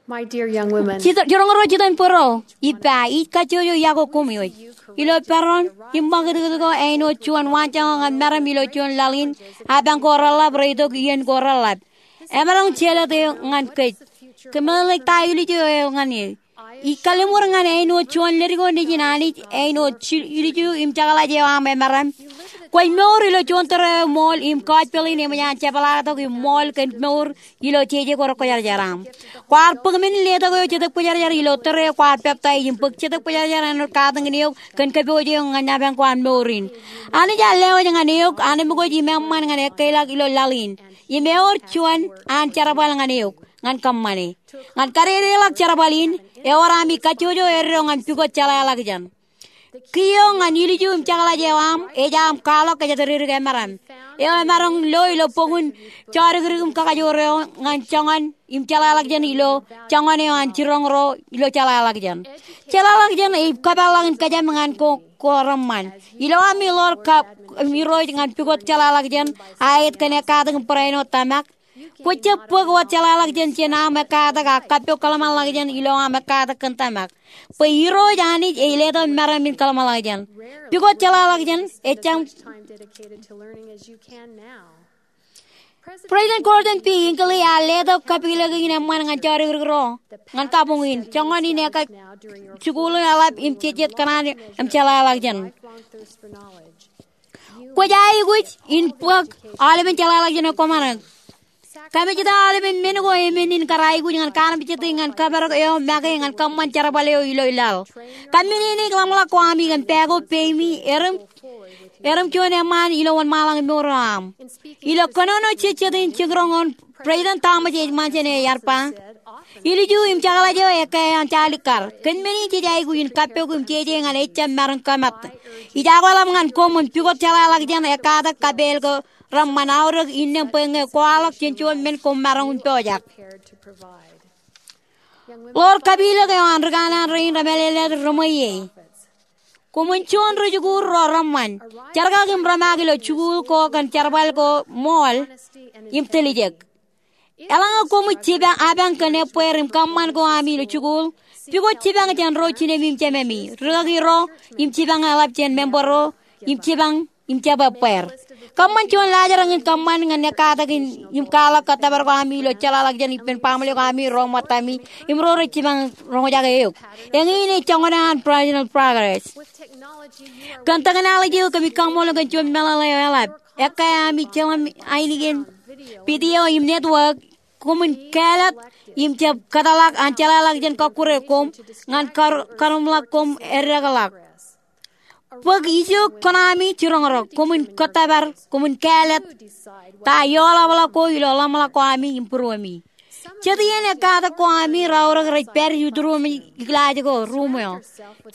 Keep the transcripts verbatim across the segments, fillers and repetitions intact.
My dear young women, jiroñ ro jitōnbōro, ippa, ij kajjojo iọkwe koṃij. Ilo peran im ṃakūtkūt ko āinwōt juon waanjoñak ñan meram ilo juon laḷ in, apañ ko reḷḷap reitok iien ko reḷḷap. Emaroñ jelōt eo ñan kōj. Kōmeḷeḷeik ta ilju eo ñan e. Ij kalliṃur ñan āinwōt juon ledik eo nejin Anij āinwōt ilju im jekḷaj eo aṃ emaram. Kwōj mour ilo juon tōre eo ṃool im gospel in eṃōj an jepḷaaktok im ṃool kōn mour ilo jeje ko rekwōjarjar aṃ. Kwaar bōk men in letok eo Jetōb Kwōjarjar ilo tōre eo kwaar peptaij im bōk Jetōb Kwōjarjar āinwōt katakin eok kōn kōpooj eok ñan apañ ko an mour in. Anij ear lewōj ñan eok, anemkwōj im eṃṃan ñan ekkeilọk ilo laḷ in. Im ewōr juon an jerbal ñan eok, ñan kōṃṃane. Ñan kadedeḷọk jerbal in, ewōr ami kajjojo eddo ñan pukot jeḷāḷọkjeṇ. Kiiō ñan ilju im jekḷaj eo aṃ, ej aṃ kwaḷọk kōjatdikdik emaram. Eo emaroñ lo ilo bok in Jodikdik im Kakajoor eo ñan joñan im jeḷāḷọkjeṇ ilo joñan eo an jiroñ ro ilo jeḷāḷọkjeṇ. Jeḷāḷọkjeṇ ej kōpeḷḷọk in kōjām ñan ko, ko reṃṃan. Ilo ami ḷoor kab im Irooj ñan pukot jeḷāḷọkjeṇ, aet kōn ekkatak im barāinwōt tōmak. Kwō jab bōk wōt jeḷāḷọkjeṇ jān aṃ ekkatak ak kappok kōḷmānḷọkjeṇ ilo aṃ ekkatak kōn tōmak. Bwe Irooj Anij ej letok meram in kōḷmānḷọkjeṇ. Pukot jeḷāḷọkjeṇ, ejjab. President Gordon B. Hinckley ear letok kapilōk in eṃṃan ñan jodikdik ro ñan kabuñ in. Joñan in ekka jikuuḷ in eḷap im jejjet kōṇaan im jeḷāḷọkjeṇ. Kwōj aikuj in bōk aolepen jeḷāḷọkjeṇ eo kwōmaroñ. Kamijjitōk aolepen men ko emān in kar aikuj ñan kaarmejjete ñan kōparok eo make ñan kōṃṃan jerbal eo ilo laḷ. Kōmmenin ḷōmṇak ko ami kōn pāko peimi, erom, erom juon eṃṃaan ilo wōnṃaanḷọk in mour eo aṃ. Ilo kōnono jejjet in jiroñ in, President Thomas S. Monson ear ba, ilju im jekḷaj eo ekkā an jaalikkar. Kōn men in jej aikuj in kappok im jeje ñan ejjab maroñ kōmat. Ij akweḷap ñan koṃ im pukot jeḷāḷọkjeṇ, ekkatak, kapeel ko reṃṃan, aorōk innām bwe ñe kwaḷọk jān juon men koṃ maroñ in pojak. Ḷoor kapilōk eo an ri kanaan rein remālōtlōt reṃweiie. Koṃwin juon rijikuuḷ ro reṃṃan. Jerkak im rōmaak ilo jikuuḷ ko kōn jerbal ko ṃool im tiljek. Eḷaññe koṃij jipañ, apañ kōn ebbeer im kōṃṃan ko ami ilo jikuuḷ, pukot jipañ jān ro jinemi im jememi, rikaki ro, im jipañ eḷap jān member ro, im jipañ im jab ebbeer. Kōṃṃan juon laajrak in kōṃṃan ñan ekkatak in im kwaḷọk kōttōpar ko ami ilo jeḷāḷọkjeṇ ippān baaṃle ko ami, ro ṃōttami, im ro rej jipañ roñjake eok. Eñin ej joñan an personal progress. Kōn technology eo kōmij kaṃṃoolol kōn juon meḷeḷe eo eḷap. Ekkā ami jeḷā ainikien video im network, koṃwin kāālōt im jab kōtḷọk an jeḷāḷọkjeṇ kọkkure koṃ ñan kar-, karuṃḷọk koṃ eddekḷọk. Bōk ijo kōṇaami jiroñ ro, koṃwin kōttōpar, koṃwin kāālōt ta ioḷapḷọk ko ilo ḷōmṇak ko ami im būruemi. Jet iien ekkatak ko ami raorōk rej pād ituruṃ iklaaj ko, ruuṃ eo.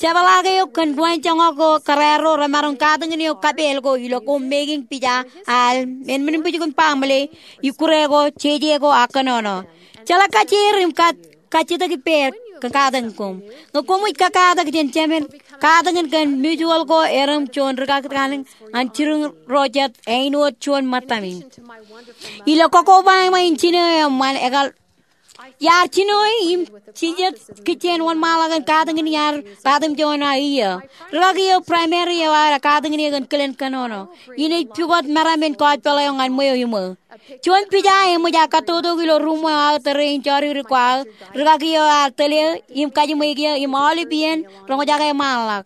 Jepḷaak eok kōn ruwainjoñak ko kōrā ro remaroñ katakin eok kapeel ko ilo koṃ making pija al, men, men in bwijin baaṃle, ikkure ko, jeje ko ak kōnono. Jeḷā kajjier im kajjitōk ippāer kōn katakin koṃ. Ñe koṃij kakkatak jān jemed, katakin kōn mutual ko erom juon rikaki kaṇ an jiroñ ro jet āinwōt juon ṃōttami. Ilo kōkobaba eo eṃṃan, ekar iar jino im jinjet kijjien wōnṃaanḷọk in katakin iar ratimjuon aō iiō. Rikaki eo primary eo aō katakin eō kōn kilen kōnono. Inej pukot meram in gospel eo ñan ṃweo iṃō. Juon pija eṃōj aō kattotok ilo ruuṃ eo aō tōre in jodikdik ko aō, rikaki eo ear tōl eō im kajiṃwe eō im aolep iien roñjake ṃaanḷọk.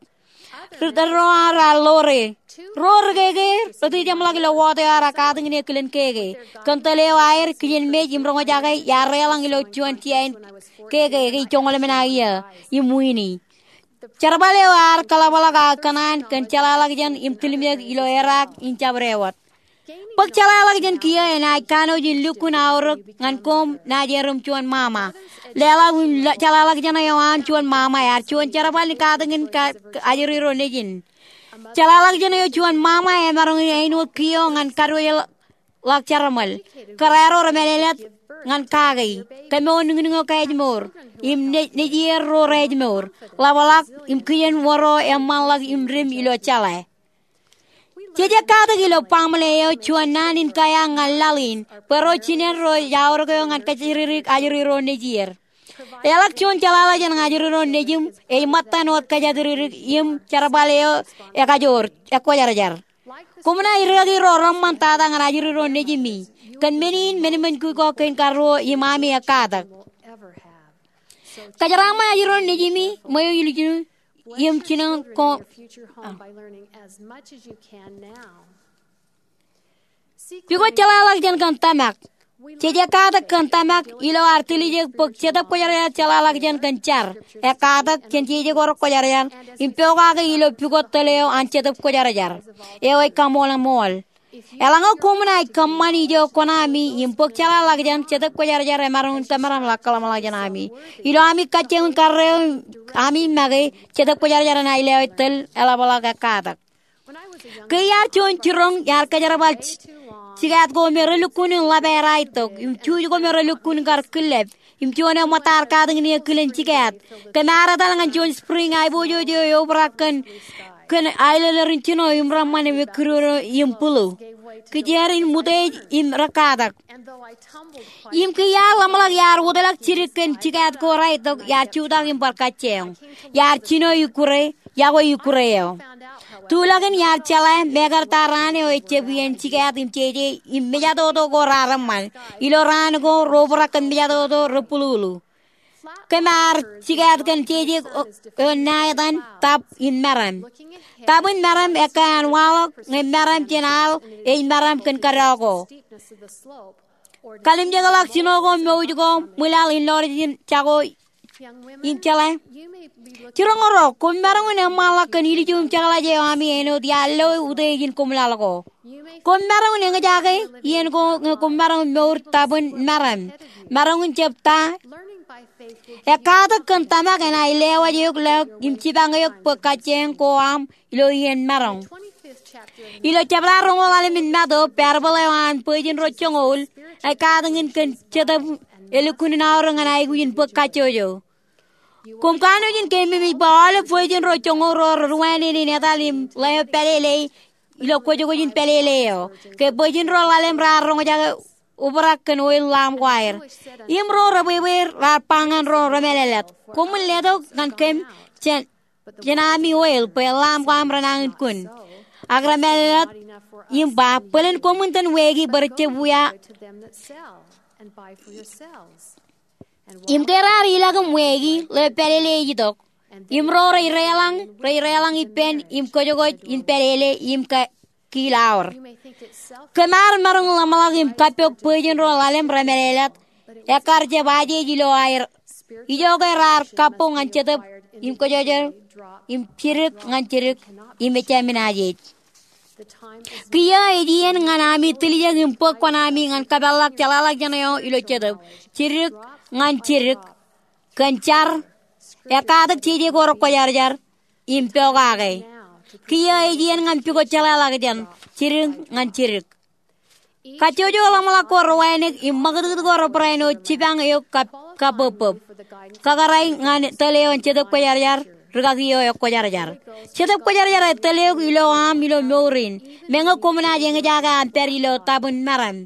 Ri-, ri-, ro ar, ar ḷoore. Ruo rikeke rej jeṃḷọk ilo ward eo ar katakin eō kilen keke. Kōn tōl eo aer kijenmej im roñjake iar reḷọñ ilo juon tia in keke, ke joñoul emān aō iiō im wiini. Jerbal eo ar kōḷapḷọk aō kōṇaan kōn jeḷāḷọkjeṇ im tilmjek ilo erraak in jabdewōt. Bōk jeḷāḷọkjeṇ kiiō enaaj kanooj in lukkuun aorōk ñan koṃ naaj erom juon ṃaṃa. Leḷọk im jeḷāḷọkjeṇ eo an juon ṃaṃa ear juon jerbal in katakin ajri ro nejin. Jeḷāḷọkjeṇ eo juon ṃaṃa emaroñ in āinwōt kiiō ñan karuwajeḷọk jeramṃōl. Kōrā ro remālōtlōt ñan kaki, kōmour nuknuk eo kōj mour, im ne-, nejier ro rej mour, ḷapḷọk im kijen wōr ro eṃṃanḷọk im dim ilo jeḷā. Jej ekkatak ilo baaṃle eo juon naan in kaiaak ñan laḷ in, bwe ro jined ro ej aorōk eō ñan kōjatdikdik ajri ro nejier. Eḷak juon jeḷāḷọkjeṇ ñan ajri ro nejim ej ṃōttan wōt kōjatdikdik im jerbal eo ekajoor, ekwōjarjar. Koṃ naaj rikaki ro reṃṃan tata ñan ajri ro nejimi kōn men in, men in men kōj ko kein karuo im ami ekkatak. Kōjeraaṃṃan ajri ro nejimi ṃweo ilikin im jino ko pukot jeḷāḷọkjeṇ kōn tōmak. Jej ekkatak kōn tōmak ilo ad tiljek bwe Jetōb Kwōjarjar jeḷāḷọkjeṇ kōn jar, ekkatak jān jeje ko rekwōjarjar im pokake ilo pukot tōl eo an Jetōb Kwōjarjar eo ej kaṃoolṃool. Eḷaññe koṃ naaj kōṃṃan ijo kuṇaami im bōk jeḷāḷọkjeṇ, Jetōb Kwōjarjar emaroñ in kōmeram ḷak kōḷmānḷọkjeṇ ami. Ilo ami kajjioñ karreo ami make, Jetōb Kwōjarjar enaaj lewōj tōl eḷapḷọk ekkatak. Ke iar juon jiroñ iar kōjerbal jikaat ko me relukkuun in ḷap aer aetok im juuj ko me relukkuun in kar killep im juon eo ṃōttaar katakin eō kilen jikaat. Kōm ar etal ñan juon spring aiboojoj eo eobrak kōn, kōn aelōlōr in jino im reṃṃan im ekkidoodo im bulu. Kijeer in ṃutiej im rekkatak. Im ke iar ḷōmṇak iar wōtlọk jidik kōn jikaat ko raetok, iar jutak im bar kajjioñ. Iar jino ikkure, yokwe ikkure eo. Tulọkin iar jeḷā mekarta raan eo ejab iien jikaat im jeje im mejatoto ko raar eṃṃan. Ilo raan ko ro obrak kōn mejatoto rebululu. Kōm ar jikaat kōn jeje eo ṇa etan tap im meram. Tap in meram ekkā an waḷọk ñe meram jān al ej meram kōn kōdọ ko. Kalimjekḷọk jino ko mouj ko ṃwilaḷ in lọrjin jako im jeḷā. Jiroñ ro, koṃ maroñ in eṃṃanḷọk kōn ilju im jekḷaj eo ami āinwōt iar lo utiej in koṃlaḷ ko. Koṃ maroñ in eñjake iien ko ñe koṃ maroñ in mour tap in meram. Maroñ in jab ta. Ekkatak kōn tōmak enaaj lewōj eok ḷọk im jipañ eok bwe kajjioñ ko aṃ ilo iien maroñ. Ilo jebta roñoul ḷalem in Matu, parable eo an bwijin ro joñoul, ej katakin kōn Jetōb elukkuun in aorōk ñan aikuj in bōk kajjojo. Koṃ kanooj in keememej bwe aolep bwijin ro joñoul ro reduueṇein in etal im ḷeo pālele ilo kwōjkwōj in pālele eo. Ke bwijin ro ḷalem raar roñjake obrak kōn oil lamp ko aer. Im ro rebwebwe raar ba ñan ro remālōtlōt, koṃwin letok ñan kōm jān, jān ami oil bwe lamp ko aṃ renañin kun. Ak remālōtlōt im ba, bōlen koṃwin itōn weiki bwe rejab wia. Im ke raar ilọk im weiki, ḷeo pālele ej itok. Im ro rej deḷọñ, rej deḷọñ ippān im kwōjkwōj in pālele im ke kiil aor. Kōm ar maroñ ḷōmṇak im kappok bwijin ro ḷalem remālōtlōt, ekkar jab ajeej ilo aer. Ijoke raar kappok ñan Jetōb im kōjojor im jidik ñan jidik im ejāmin ajeej. Kiiō ej iien ñan ami tiljek im bōk kuṇaami ñan kōpeḷḷọk jeḷāḷọkjeṇ eo ilo Jetōb, jidik ñan jidik, kōn jar, ekkatak jeje ko rekwōjarjar, im pokake. Kiiō ej iien ñan pukot jeḷāḷọkjeṇ, jidik ñan jidik. Kajjojo ḷōmṇak ko rewānōk im ṃakūtkūt ko rebarāinwōt jipañ eok kab, kabōbbōb. Kakōrā ñan tōl eo an Jetōb Kwōjarjar, rikaki eo ekwōjarjar. Jetōb Kwōjarjar ej tōl eok ilo aṃ ilo mour in. Meñe koṃ naaj eñjake aṃ pād ilo tap in meram.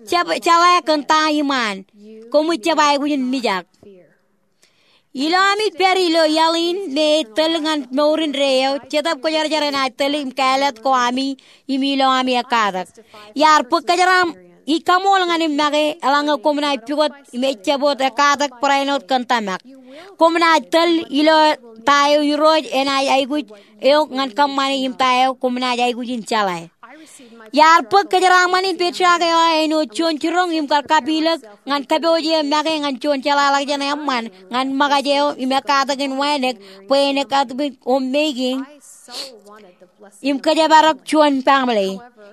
Jab jeḷā kōn ta iṃaan. Koṃij jab aikuj in mijak. Ilo ami pād ilo iaḷ in me ej tōl ñan mour indeeo, Jetōb Kwōjarjar enaaj tōl im kāālōt ko ami im ilo ami ekkatak. Iar bōk kōjeraaṃ, ij kaṃool ñan im make, eḷaññe koṃ naaj pukot im ejjab wōt ekkatak barāinwōt kōn tōmak. Koṃ naaj tōl ilo ta eo Irooj enaaj aikuj eok ñan kōṃṃane im ta eo koṃ naaj aikuj in jeḷā. Iar bōk kōjeraaṃṃan in patriarch eo aō āinwōt juon jiroñ im kar kapilōk ñan kōpooj eo make ñan juon jeḷāḷọkjeṇ eṃṃan ñan ṃōkaj eo im ekkatak in wānōk bwe en ekkatak in homemaking im kōjparok juon baaṃle.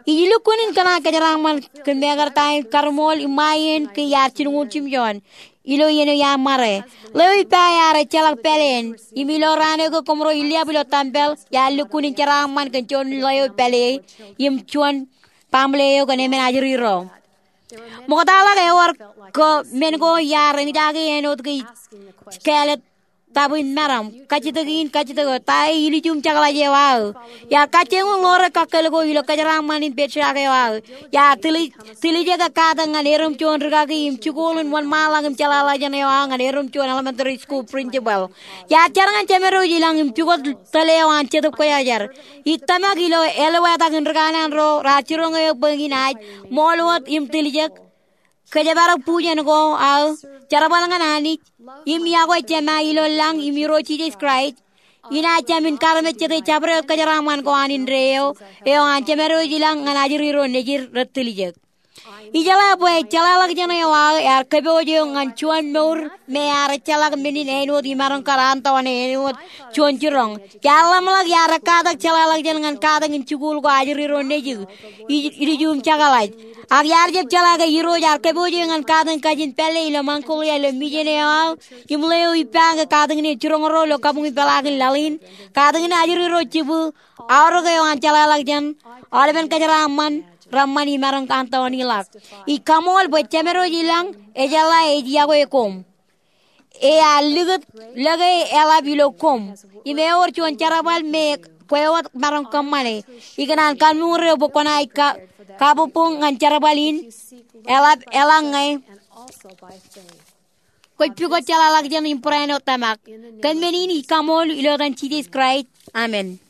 Ij lukkuun in kōṇaan kōjeraaṃṃan kōn mekarta in karuṃool im ṃae iien ke iar jilñuul jimjuon ilo iien eo iar ṃare. Ḷeo ippa ear ejjeḷọk pāleen, im ilo raan eo ke koṃro illiab ilo tempel, iar lukkuun in jeraaṃṃan kōn juon ḷeo pāle im juon baaṃle eo kōn emān ajri ro. Ṃoktaḷọk ewōr ko men ko iar eñjake āinwōt ke ij kāālōt tap in meram, kajjitōk in, kajjitōk eo, ta eo ilju im jekḷaj eo aō. Iar kajjioñ ḷoore kakkōl ko ilo kōjeraaṃṃan in patriarch eo aō. Iar tiljek, tiljek ekkatak ñan erom juon rikaki im jikuuḷ in wōnṃaanḷọk im jeḷāḷọkjeṇ eo aō ñan erom juon elementary school principal. Iar jar ñan Jemedwōj ilañ im pukot tōl eo an Jetōb Kwōjarjar. Ij tōmak ilo eḷap etak in ri kanaan ro raar jiroñ eok bwe eñin aij ṃool wōt im tiljek, kōjparok bujen ko aō, jerbal ñan Anij, im iọkwe Jema ilo lañ im Irooj Jisōs Kraist, inaaj jāmin karmejjete jabdewōt kōjeraaṃṃan ko an indeeo eo an Jemedwōj ilañ ñan ajri ro nejid rej tiljek. Ijeḷā bwe jeḷāḷọkjeṇ eo aō ear kōpooj eok ñan juon mour me ear ejjeḷọk men in āinwōt imaroñ kar antoone āinwōt juon jiroñ. Iar ḷōmṇak iar ekkatak jeḷāḷọkjeṇ ñan katakin jikuuḷ ko ajri ro nejid, i-, ilju im jekḷaj. Ak iar jab jeḷā ke Irooj ear kōpooj eō ñan katakin kajin pālle ilo Mongolia ilo mijen eo aō, im ḷeo ippa ke katakin eo jiroñ ro ilo kabuñ in peḷaakin laḷ in, katakin ajri ro jibū, aorōk eo an jeḷāḷọkjeṇ, aolepen kōjeraaṃṃan, reṃṃan imaroñ antooniḷọk. Ij kaṃool bwe Jemedwōj ilañ, ejeḷā ej iọkwe koṃ. Ear likūt lōke eḷap ilo koṃ. Im ewōr juon jerbal me kwe wōt maroñ kōṃṃane. Ikōṇaan kalliṃur eok bwe kwōnaaj ka-, kabuñbuñ ñan jerbal in eḷap eḷaññe kwōj pukot jeḷāḷọkjeṇ im barāinwōt tōmak. Kōn men in ij kaṃool ilo etan Jisōs Kraist. Amen.